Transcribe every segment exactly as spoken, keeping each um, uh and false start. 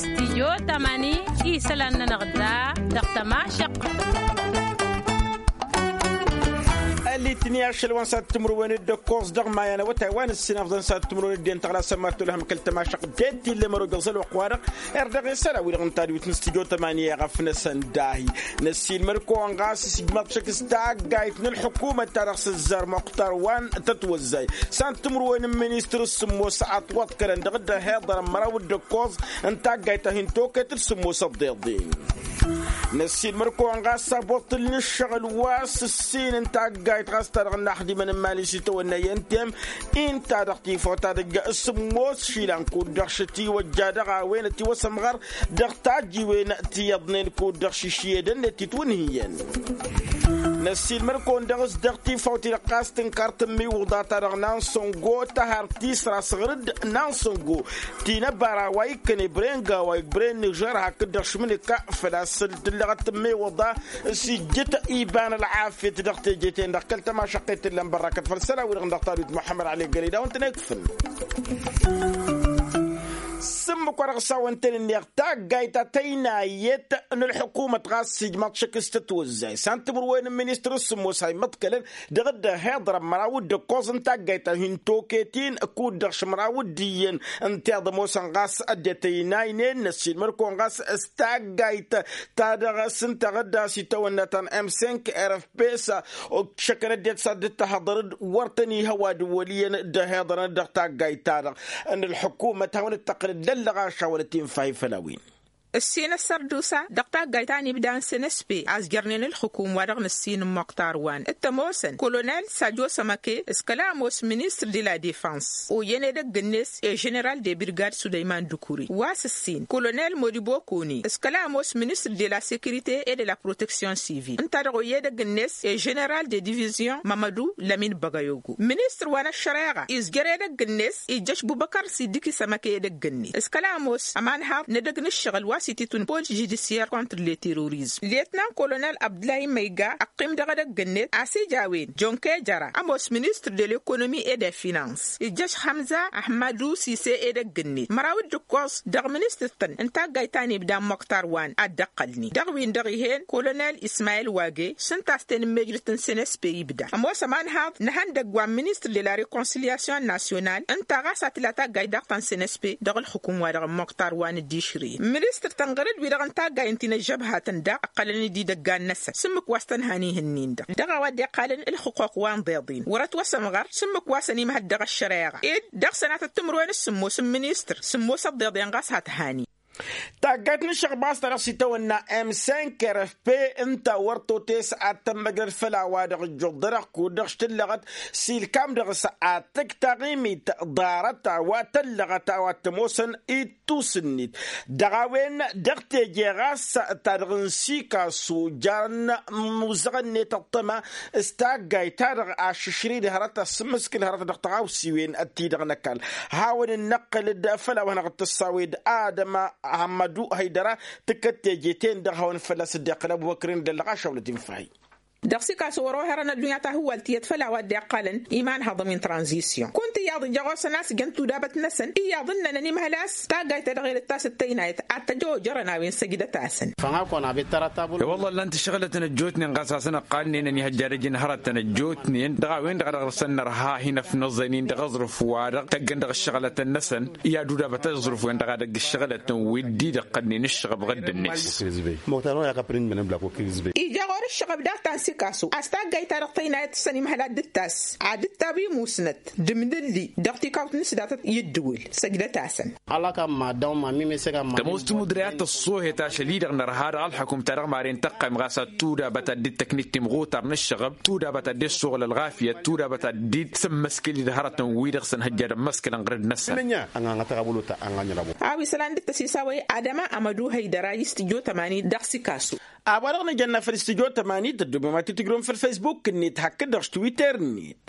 Stijyo tamani isălan-nănăɣ da dăɣ-tămašăq. Ălitni ašăl wa n-sat timǝrwen d-ăkkoẓ dăɣ-maya n-awătay wa n-ǝssin afḍăn sat timǝrwen d-en tăɣlasăn ma t-tolhăm kăl-tămašăq d-e t-illa mărog ăẓăl wa q-wa-dăɣ. Erdăɣ isălan-wi-dăɣ n-tadwit n-stijyo tamani i-aɣăf-năsăn dahi năssiilmăd-kăwăn ɣas s-ijmaḍ šăkk s-taggayt n-ǝlḥǝkumăt ta dăɣ-s ǝzzar muqtar wa n-tătwăzzay s-ad-timǝrwen n-ministăr s-sǝmmos ătwăḍkălăn dăɣ-dd-ăhiḍărăn măraw d-ǝkkoẓ n-taggayt a hin-toket d-sǝmmos ăḍḍeḍen. Năssiilmăd-kăwăn ɣas s-aboṭṭǝl n-ǝššăɣǝl wa s-ǝssin n-taggayt ɣas ta dăɣ-naxdimăn n-imali s-itawănna i-ăntem inta dăɣ-tifawt ta dăgg-sǝmmos išilan kud-dăɣ šătiwăjja dăɣ-a-wen ătiwăsămɣăr dăɣ-tajjiwen ti iyyăḍnen kud-dăɣ šišiyed ănnet titwǝnhǝyăn. Năssiilmăd-kăwăn dăɣ-s dăɣ-tifawt-i-dăɣ ɣas tǝnkar tǝmmiwǝḍa ta dăɣ-nansăngo tăhar tisra s-ɣǝr-dd nansăngo ti n-ăbara wa ikkăn ebren gawa ebren nižer hakd-dăɣ šmǝnǝka făl-a-s tǝllăɣăt tǝmmiwǝḍa s-ijjǝt iba n-ălɣafyăt dăɣ-teje-ten-dăɣ kăl-tămašăqqet tǝllăn bărrakăt făll-isălan-wi-dăɣ n-dăɣ-tadwit muḥămmăd ăli ăggălăy d-a-wen-tăn-ikfǝl. S-ǝmmǝk wa dăɣ-s a-wen-tăn-ǝnneɣ taggayt ta tăynayet n-ălḥukumăt ɣas s-ijmaḍ šăkk s-tătwăzzay s-ad-timǝrwen n-ministăr s-sǝmmos a immăḍkălăn dăɣ-dd-ăhiḍărăn măraw d-ǝkkoẓ n-taggayt ta hin-toket-in kud-dăɣ šămraw d-iyyăn n-tiḍămoosăn ɣas ăddinăt ăynaynen năssiilmăd-kăwăn ɣas s-taggayt ta dăɣ-s ǝnta ɣǝdda s-itawănna ta n-m cinq r f p s-ăkšăkăn ăddinăt s-ad-dd-tăhăḍăr-dd wăr tăn-ihăw ad-ǝwwăl iyyăn dd-ăhiḍărăn dăɣ-taggayt-ta-dăɣ n-ălḥukumăt hawăn-dd-tăqqǝlăd d-ăllăɣaša wăla t-infa ifăl a-wen. Ǝssin ăssărdusa dăɣ-taggayt ta n-ibda n-snsp a-s jărnen ǝlxǝkum wa dăɣ-nǝssin n-muqtar wa n-t-ămoosăn kolonel sajo sămăke s-kăla ămoos ministăr de la defăns oyyăn edăgg-net e-ženeral de birgad sulăyman dukuri wa s-ǝssin kolonel modibokoni s-kăla ămoos ministăr de la sekirite e de la proteksyon sivil ǝnta-dăɣ oyya edăgg-net e-ženeral de divizyon mămădu lămin băgăyogo ministăr wa n-ăššăreɣa izjăr edăgg-net ijjăš bubăkăr s-idǝki sămăke edăgg-net s-kăla ămoos ămanhaḍ n-edăgg n-ǝššăɣǝl wa s-ititwǝn polis žudisyer kontr le terorizm letnan kolonel abdulay măyga ăqqim dăɣ-edăgg-net a-s ija a-wen jonke jăra ămoos ministăr de lekonomi e de finans ijjăš hămza ahmadu sise edăgg-net măraw d-ǝkkoẓ dăɣ-ministăr-tăn n-taggayt ta n-ibda n-moktar wa n-ad-dd-ăqqălnen dăɣ-win-dăɣ ih'-en kolonel ismayil wage s-ǝnta a-s tenǝmmejrăt n-snsp ibda ămoos ămanhaḍ n-ehăndăgg wa n-ministăr de la rekonsilyasyon nasyonal ǝnta ɣas a tǝla taggayt daɣ ta n-snsp dăɣ-ǝlxǝkum wa dăɣ-n moktar wa n-dd-išrǝyăn ministăr tănɣăr-dd wi-dăɣ n-taggay n-ti n-ăžžăbhat-ǝnda ǝqqălăn-dd idăggan-năsăn s-ǝmmǝk wa s-tăn-han ih'-ǝnnin-dăɣ dăɣ-a-wa dd-iqqalăn ǝlxǝquq wa n-iḍeḍen wăr-ătwăsămɣăr s-ǝmmǝk wa săn-imhăl dăɣ-ăššăreɣa ed dăɣ-sănatăt timǝrwen s-sǝmmos n-ministăr sǝmmos ăḍḍeḍen ɣas hat-hani. Taggayt n-ǝššăɣba s-ta dăɣ-s itawănna m cinq r f p ǝnta wăr totes ad-tămmăjrăd făll-a-wa-dăɣ ǝjjuḍ-dăɣ kud-dăɣ s-tǝllăɣăt s-ilkam dăɣ-s ad-tǝkk taɣimit ḍarăt a-wa tăllăɣăt a-wa t-ămoosăn ittus-net dăɣ-a-wen dăɣ-teje ɣas ta dăɣ-n sikasu jarăn imuzăɣăn-net ăṭṭăma s-taggayt-ta-dăɣ ašǝšrǝy d-hărăt asǝmmǝskǝl hărăt dăɣ-tăɣawsiwen ti-dăɣ n-ăkall hawăn-dd-năqqǝl-dd făll-a-wa hanăɣ-dd-tăssawed adăma hămmădu hăydăra tǝkkăt teje-ten-dăɣ hawăn-dd fălla-s dd-iqqǝl ăbubăkrin d-ăllăɣašăwlăt infahi. Dăɣ-sikasu wăr-oherăn ăddunya tahǝwwalt tiyyăt făll-a-wa dd-iqqalăn iman haḍăm intranzisyon kunta iyyăḍ ija ɣur-săn a-s jăn tudabăt-năsăn iyyăḍ ǝnnănăn imhăl a-s taggayt ta dăɣ-e d-ǝttas d-tăynayăt ad-tăjojărăn a-wen săjdăt-asăn. I-wălla ǝllan-t ǝššăɣǝlătăn ăjjootnen ɣas a-s ănăqqalnen ănihăjja ad-ăj n-hărătăn ăjjootnen dăɣ-a-wen-dăɣ a dăɣ-dăɣ-săn nărha hin-ăfnăẓăynen dăɣ-aẓrǝf-wa-dăɣ tăggăn dăɣ-ǝššăɣǝlătăn-năsăn i-ad-udabăt aẓrǝf-wen-dăɣ a dăgg-ǝššăɣǝlătăn wi dd-idăqqălnen ǝššăɣăb ɣǝddǝnet. Ija ɣur-ǝššăɣăb daɣ ta n-sikasu a-s taggayt-ta-dăɣ tăynayăt tǝssăn imhăl ad-dd-tass ad-dd-tawi musnăt d-imdǝlli dăɣ-tikawt n-isdatăt i-ǝddǝwǝl săjdăt-asăn. Tămoos timudre ad-tăṣṣoohet ašăl-i-dăɣ nărha dăɣ-ălxukum-ta-dăɣ maren tăqqayǝm ɣas ad-tudabăt ad-dd-tăknit timɣutar n-ǝššăɣăb tudabăt ad-dd-suɣǝl ălɣafyăt tudabăt ad-dd-sǝmmăskǝl-dd hărătăn-wi-dăɣ s-ănhăjjadăn măskălăn ɣǝrǝd-năsăn. A-wa isălan dd-tăsisawăy adăma amădu hăydăra i-s tǝjjo tămani dăɣ-sikasu. A-wa-dăɣ nǝjănna făll-s tǝjjo tămani tăddobem ad-t-tǝjrǝwăm făll-faysbuk-net hakd-dăɣ s-twitter-net.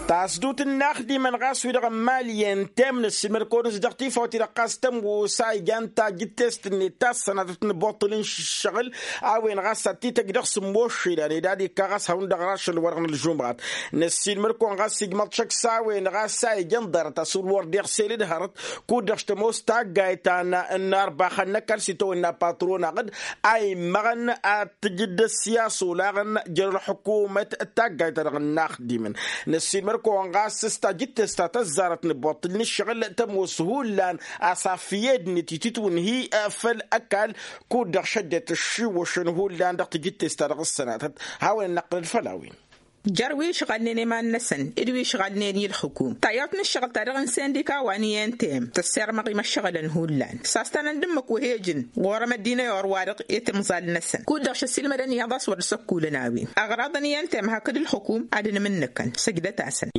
Tasdut n-inaxdimăn ɣas wi-dăɣ n-imali i-ntem năssiilmăd-kăwăn-s dăɣ-tifawt-i-dăɣ ɣas tămoos a ijan tajǝttest-net ta s-sănatăt n-ibuṭṭǝl n-ǝššăɣǝl a-wen ɣas ad-t-tăj dăɣ-sǝmmos išilan ed ad-ikka ɣas hawăn-dăɣ rašăl wa-dăɣ n-ălžumɣat. Năssiilmăd-kăwăn ɣas ijmăḍ šăkk s-a-wen ɣas a ijan ḍarăt asǝwǝl wăr dd-iɣsel d-hărăt kud-dăɣ s-tămoos taggayt ta n-arbaxăn n-ăkall s-itawănna patron-aɣ-dd a immăɣăn ad-tǝjǝd ăssiyas olaɣăn jer-ălxukumăt d-taggayt-ta-dăɣ n-inaxdimăn. Năssiilmăd-kăwăn ɣas s-tajǝttest ta tăzzarăt n-ăbbuṭṭǝl n-ǝššăɣǝl tămoos hullan asaf i-ăddinăt itǝtwǝnhǝy făll-ăkall kud-dăɣ šăddet ǝššiwwăšăn hullan dăɣ-tajǝttest-ta-dăɣ s-sănatăt. Hawăn-ănnăqqǝlăd făll-a-wen. Jer-wi ǝšɣalnen i-iman-năsăn d-wi ǝšɣalnen i-ălxukum tayyawt n-ǝššăɣǝl-ta-dăɣ n-sindika wa n-i n t m tăssirmăɣ imăššăɣǝlăn hullan s-a-s tanăn d-ǝmmǝk wa he-ǝjǝn ɣur-emăddinăy orwa-dăɣ i-timẓal-năsăn kud-dăɣ šăssiilmădăn iyyăḍ a-s wăr dd-săkkulăn a-wen. Ăɣraḍăn i n t m hakd ălxukum ad-ănmǝnnǝkăn săjdăt-asăn.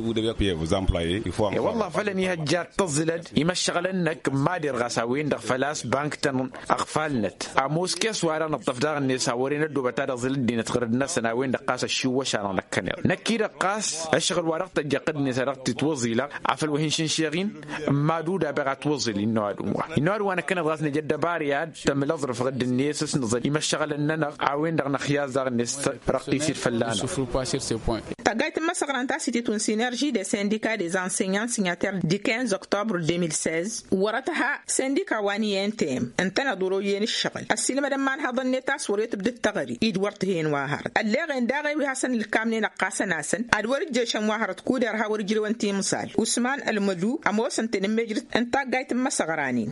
E-wălla făl ănihăjja ad-tăẓẓǝlăd imăššăɣǝlăn-năk n-mad-irɣas a-wen-dăɣ făl-a-s bank-tăn ăɣfalnăt ămoos kes-wa-dăɣ nǝṭṭăf daɣ-net a wăren ăddoobăt ad-ăẓẓǝl ăddinăt ɣǝrǝd-năsăn a-wen-dăɣ ɣas ăššiwwăš-anăɣ năkkăneḍ năkk-i-dăɣ ɣas ăššăɣǝl-wa-dăɣ tăjjăɣ-t ăddinăt a dăɣ-t-itwăẓilăɣ afăl wa hin-šǝnšeɣ-in n-mad-uda a beɣ ad-t-wăẓǝl innă ăwadǝm wa innă ăwadǝm wa năkkăneḍ ɣas nǝja ăddăbar i-ad-tămǝl aẓrǝf ɣǝdd-net s-nǝẓăl imăššăɣǝlăn-nănăɣ a-wen-dăɣ năxyaẓ daɣ-net răqqis-dd fălla-năɣ. Taggayt n-imăsăɣran ta s-ititwǝn sinerži des sindika des enseignants signater du quinze octobre deux mille seize wăr-ătha sindika wa n-i n t m ǝntăneḍ wăr-oyyăn ǝššăɣǝl ăssiilmădăn imanhaḍăn-net a-s wăr-e tǝbdǝd teɣăre-i d-wăr t-hen wa hărăt ălleɣen daɣ i-wi hasăn-ǝlkamnen ăqqasăn-asăn ad-wăr-ǝjješăn wa hărăt kud-irha wăr-ǝjrewăn timẓal usman ălmădu ămoosăn-ten ǝmmijrǝt n-taggayt n-imăsăɣran-in.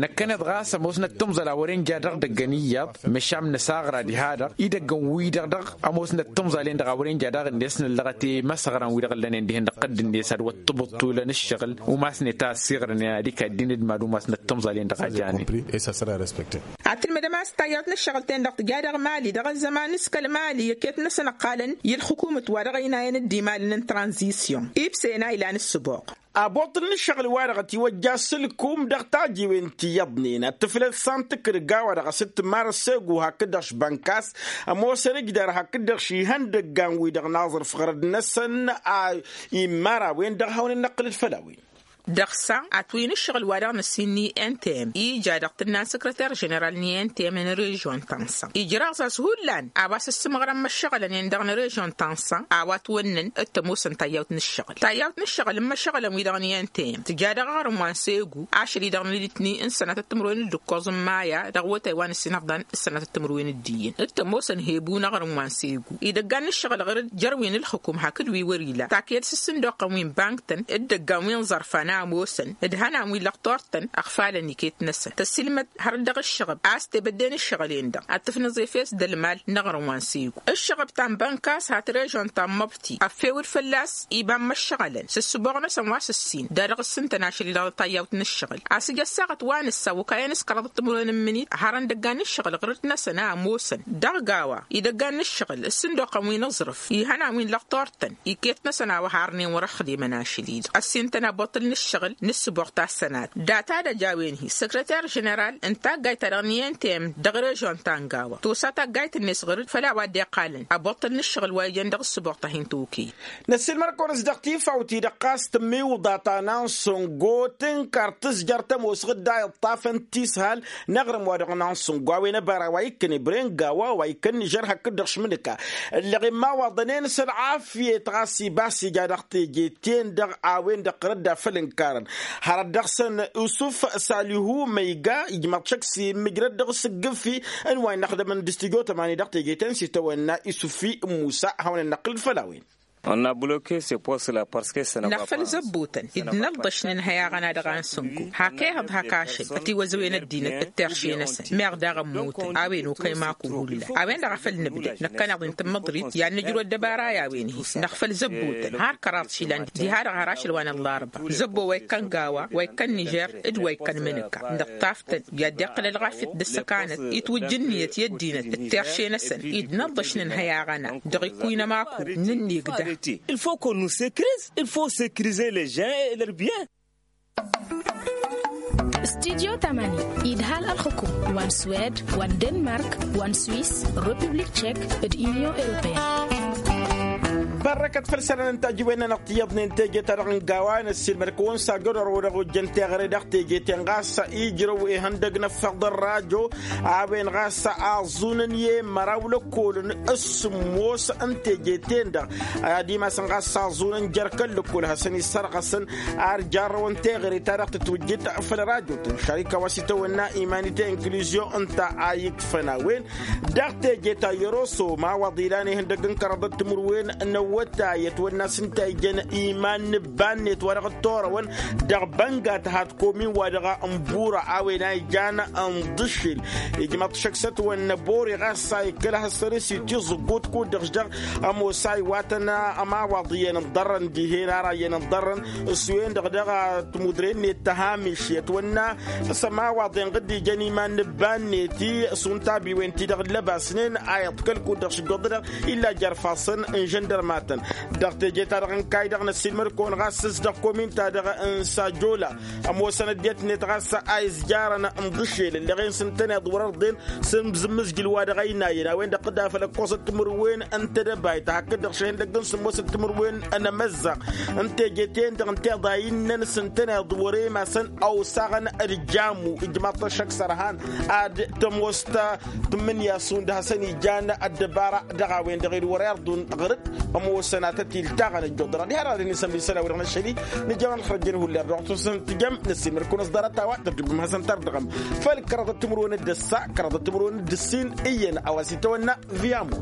Năkkăneḍ ɣas ămoosnăt timẓal a wăren ja dăɣ-idăggăn iyyăḍ măšan nǝsaɣra diha-dăɣ idăggăn-wi-dăɣ dăɣ-ămoosnăt timẓal-en-dăɣ a wăren ja daɣ-net nǝllăɣăt i-imăsăɣran-wi-dăɣ ǝllănen dihen dăɣ-tăddǝnet ad-wăr t-tǝbǝṭṭulăn ǝššăɣǝl umasnet a ăssiɣrănen ad-ikaddin d-mad-umasnăt timẓal-en-dăɣ a janen. Ad-tǝlmǝdăm a-s tayyawt n-ǝššăɣǝl-ten-dăɣ tǝja dăɣ-mali dăɣ-ăzzăman s-kăl-mali iket-năsăn ăqqalăn i-ălxukumăt wa dăɣ-ăynayăn d-imalăn n-tranzisyon ibsen a ilan ǝssǝboɣ. Aboṭṭǝl n-ǝššăɣǝl-wa-dăɣ ătiwăjja s-ǝlkum dăɣ-tajiwen ti iyyăḍnen ad-tǝflăd s-antǝkrǝg a-wa-dăɣ a-s t-marăssegu hakd-dăɣ š-bănkas ămoosăn ǝjdar hakd-dăɣ š-ihăndăggan-wi-dăɣ n-aẓrǝf ɣărăd-năsăn a immar a-wen-dăɣ hawăn-in-năqqǝlăd făll-a-wen. Dăɣ-sa atwǝy n-ǝššăɣǝl-wa-dăɣ n-ăssin n-i n t m ija dăɣ-tǝnna n-săkrăter ženeral n-i n t m n-režion tansa ijraẓ a-s hullan a-wa s-ǝssǝmɣărăn imăššăɣǝlăn-en-dăɣ n-režion tansa a-wa ătwănnăn d-tămoosăn tayyawt n-ǝššăɣǝl tayyawt n-ǝššăɣǝl n-imăššăɣǝlăn-wi-dăɣ n-i n t m tǝja dăɣ-aɣrǝm wa n-segu ašăl-i-dăɣ n-elitni n-sănatăt timǝrwen d-ǝkkoẓ n-maya dăɣ-awătay wa n-ǝssin ăfḍan s-sănatăt timǝrwen d-iyyăn d-tămoosăn hebu n-aɣrǝm wa n-segu idăggan n-ǝššăɣǝl ɣǝr-dd jer-wi n-ǝlxǝkum hakd wi wăr-ila taked s-ǝssǝndoqăn wi n-bank-tăn d-idăggan wi n-iẓărfan a ămoosăn d-ihănan wi n-lăqtor-tăn ăɣfalăn iket-năsăn tăsilmăd hărăt dăɣ-ǝššăɣăb a-s tebădde n-ǝššăɣǝl-en-dăɣ ad-tǝfnǝẓ efes d-ălmal n-aɣrǝm wa n-segu ǝššăɣăb ta n-bănka a-s hat režon ta n-măbti ăffewăd fălla-s iba n-imăššăɣălăn s-ǝssǝboɣ-năsăn wa s-ǝssin d-ad-dăɣ-ǝssǝntăn ašăl-i-dăɣ tayyawt n-ǝššăɣǝl a-s ija ăssaɣăt wa nǝssa okayăn s-kăraḍăt timǝrwen n-imǝnit hărăn idăggan n-ǝššăɣǝl ɣǝr-dd-năsăn a ămoosăn dăɣ-gawa idăggan n-ǝššăɣǝl ǝssǝndoqăn wi n-aẓrǝf ihănan wi n-lăqtor-tăn iket-năsăn a-wa harnen wăr-ăxdimăn ašăl-i-dăɣ ăssintăn aboṭṭǝl n-ǝššăɣǝl n-ǝssǝboɣ ta s-sănat data d-ăj a-wen-hi săkrăter ženeral n-taggayt-ta-dăɣ n-i n t m dăɣ-režon ta n-gawa tosa taggayt-net ɣǝr-dd făll-a-wa dd-iqqalăn aboṭṭǝl n-ǝššăɣǝl wa ijăn dăɣ-ǝssǝboɣ ta hin-tokăyăt. Năssiilmăr-kăwăn-s dăɣ-tifawt-i-dăɣ ɣas tǝmmiwǝḍa ta n-ansǝngo tǝnkăr tǝzjăr tămoos ɣǝdda iṭṭafăn tishal n-aɣrǝm-wa-dăɣ n-ansǝngo a-wen ăbara wa ikkăn ebren gawa wa ikkăn nižer hakd-dăɣ šmǝnǝka ǝlleɣ imawaḍăn-en s-ălɣafyăt ɣas ibas ija dăɣ-teje-ten-dăɣ a-wen-dăɣ ɣǝrǝdda făll-ǝnkarăn hărăt dăɣ-săn isuf salihu măyga ijmăḍ šăkk s-immǝjrăd dăɣ-s ǝggǝfi n-wa inăxdămăn d-stujo tămani dăɣ-teje-ten s-itawănna isufi n-musa hawăn-ănnăqqǝl-dd făll-a-wen. Năɣfăl zăbbotăn dd-năḍḍăš nǝnhăy aɣăna dăɣ-ansǝnku hak ehăḍ hak ašăl ătiwăzăwen ăddinăt d-terše-năsăn meɣ daɣ ămmutăn a-wen okăy maku hullan a-wen-dăɣ a făl nǝbdăd năkkăneḍ-i n-tǝmmăḍrit i-ad-nǝjrǝw ăddăbara i-a-wen-hi. Năɣfăl zăbbotăn har kăraḍ išilan diha-dăɣ har ašăl wa n-ăllarba zăbbo wa ikkăn gawa wa ikkăn nižer d-wa ikkăn mǝnǝka nǝṭṭaf-tăn i-ad-dd-iqqǝl ălɣafyăt d-ăssăkanăt itwǝjj ǝnniyăt i-ăddinăt d-terše-năsăn-i d-năḍḍăš nǝnhăy aɣăna dăɣ-ikkuy n-ămaku n-ǝnnig da. Il faut qu'on nous sécurise, il faut sécuriser les gens et leurs biens. Studyo tămani idhal ălxǝkum wa n-swed wa n-denmark wa n-swis, republik tchek d-union europeyăn. Ărrăkăt făll-isălan n-tajǝwen-nănăɣ tiyyăḍnen teje-ta-dăɣ n-gawa n-ăssiilmăd-kăwăn s-ajădor wăr-dăɣ ojjăn teɣăre dăɣ-teje-ten ɣas ijrăw ihăndăg n-ăffăɣ d-ărrajo a-wen ɣas aẓẓunăn i-măraw lăkkolăn s-sǝmmos n-teje-ten-dăɣ ad-imasăn ɣas aẓẓunăn jer-kăl-lăkkol hasăn-issărɣăsăn ar jarrăwăn teɣăre-ta-dăɣ tǝtwǝjjǝd făll-ărajotăn šarika wa s-itawănna imanite inkǝluzyon ǝnta a ikfăn a-wen dăɣ-teje ta i-ăroso mawaḍ ilan ihăndăg n-kăraḍăt timǝrwen n-awătay ătwănna s-ǝnta ijăn iman n-ǝbba-net wa dăɣ-dd-torăwăn dăɣ-bănga tăhat komin wa dăɣ-ănbura a-wen a ijan ănḍǝššel. Ijmăḍ šăkk s-ătwănna bori ɣas a ikkăl ad-hasăn-s itiẓǝggut kud-dăɣ s-dăɣ ămoos a iwatăn ămawaḍ iyyăn ǝnḍărrăn dihen ara iyyăn ǝnḍărrăn s-wen-dăɣ dăɣ-timudre-net tăhamiš i-ătwănna s-ămawaḍ inɣǝd ijăn iman n-ǝbba-net s-untabiwen-ti-dăɣ ǝllăbasnen a iḍkăl kud-dăɣ šǝjjoḍ-dăɣ illa jer-ifassăn n-žăndărmatăn. Dăɣ-teje-ta-dăɣ n-kayy-dăɣ n-ăssiilmăd-kăwăn ɣas s-dăɣ komin-ta-dăɣ n-sajola ămoosăn ăddinăt-net ɣas a izjarăn n-iḍǝššel ǝlleɣ-en s-ǝntăneḍ wăr-ărḍen s-imǝzjǝl wa dăɣ-ăynayăn a-wen-dăɣ tǝdafăl ăkkoẓăt timǝrwen n-tedăbayt hakd-dăɣ šăhǝndăgg n-sǝmmosăt timǝrwen n-emăzzaɣ n-teje-ten-dăɣ ǝnta iḍa innăn s-ǝntăneḍ wăr-emasăn ăwsaɣăn d-jamu ijmaḍ-t ăššăk s-ărhan ad-tămoos ta tǝmmǝnǝya šund hasăn-ijan ăddăbara dăɣ-a-wen-dăɣ ed wăr-irḍun ɣǝr-dd ămoosăn ad-tăt-iltaɣăn ăjjoḍăr ad-iha dăɣ-ad-hin-isămri isălan-wi-dăɣ n-ašăl-i nǝjăr ălxărjăn hullan dăɣ-tusăn tǝjăm năssiilmăd-kăwăn s-ḍarăt a-wa tărdǝbăm hasăn-tărdăɣăm făll-kăraḍăt timǝrwen d-ăssa kăraḍăt timǝrwen d-ǝssin iyyăn a-wa s-itawănna viyamu.